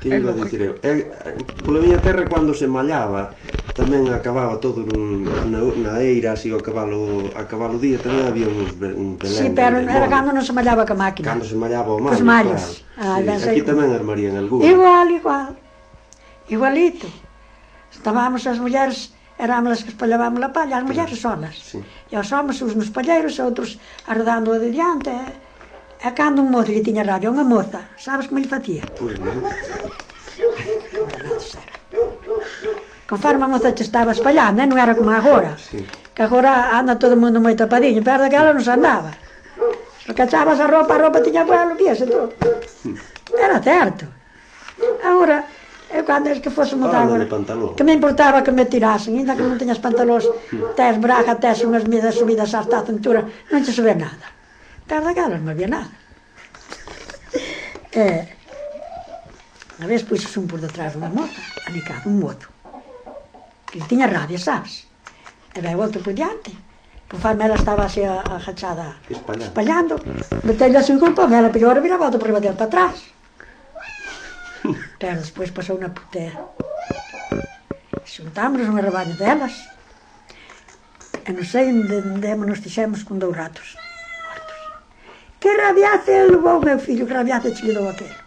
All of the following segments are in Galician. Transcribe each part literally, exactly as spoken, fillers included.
Que iba a dicir eu? Pola miña terra, cando se mallaba, tamén acababa todo na eira, así, o cabalo a cabalo día, tamén había uns belén. Si, pero era cando non se mallaba ca máquina. Cando se mallaba o mallo, claro. Os mallos. Aquí tamén armarían algún. Igual, igual. Igualito. Estábamos as mulleres, éramos as que espallábamos a palla, as mulleres solas. E os homens, uns nos palleiros, outros arredando a de diante. E cando un mozo lle tiña rabia, unha moza, sabes como lle facía? Pois non. Conforme a moza te estaba espallando, non era como agora. Que agora anda todo o mundo moi tapadinho, pero daquela non se andaba. Se cachabas a roupa, a roupa tiña vuelo, víase todo. Era certo. Agora, eu cando es que fósemos agora, que me importaba que me tirasen, ainda que non teñas pantalóns, tes braga, tes unhas medidas subidas hasta a cintura, non te se ve nada. Pero daquelas non había nada. E, a vez puxes un por detrás unha moza, anicado, un mozo, que tiña rabia, sabes? E veu outro por diante, conforme ela estaba así agachada, espallando, metelle así un culpa, ela pillou a viraba outro por riba dele para atrás. Pero despois pasou unha putera. Xuntámonos un rebaño delas, e non sei onde nos fixemos con dous ratos. Que rabiace levou o meu filho, que rabiace te dou aquele.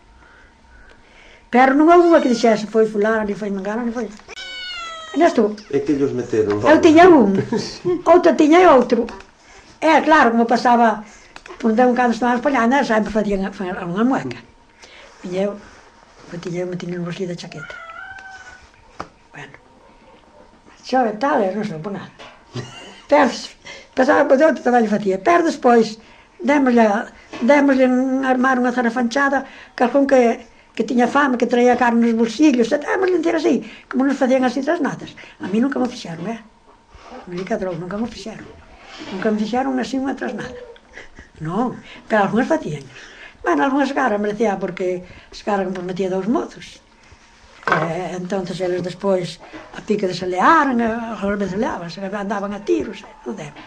Pero non houve unha que dixese, foi fulano, ni foi mangano, ni foi... E nesto... É que ellos meteron... Eu tiña un, outro tiña outro. É, claro, como pasaba, por un cando estaban espallando, sempre facían unha mueca. E eu, eu tiña, eu me tiña no bolsillo da chaqueta. Bueno, xove tal, non sei por nada. Pero, pasaba por outro tamén lle facía. Pero despois, Démoslle, démoslle armar unha zarafanchada, calcún que, que tiña fame, que traía carne nos bolsillos, e démoslle entera así, como nos facían así tras natas. A mí nunca me fixeron, eh? Non lle cadrou, nunca me fixeron. Nunca me fixeron así unha tras nada. Non, pero algunhas facían. Bueno, algunhas cara merecía, porque as cara que metía dous mozos. E, entonces eles despois, a pique de se learan, a veces leaban, andaban a tiros, e non deben.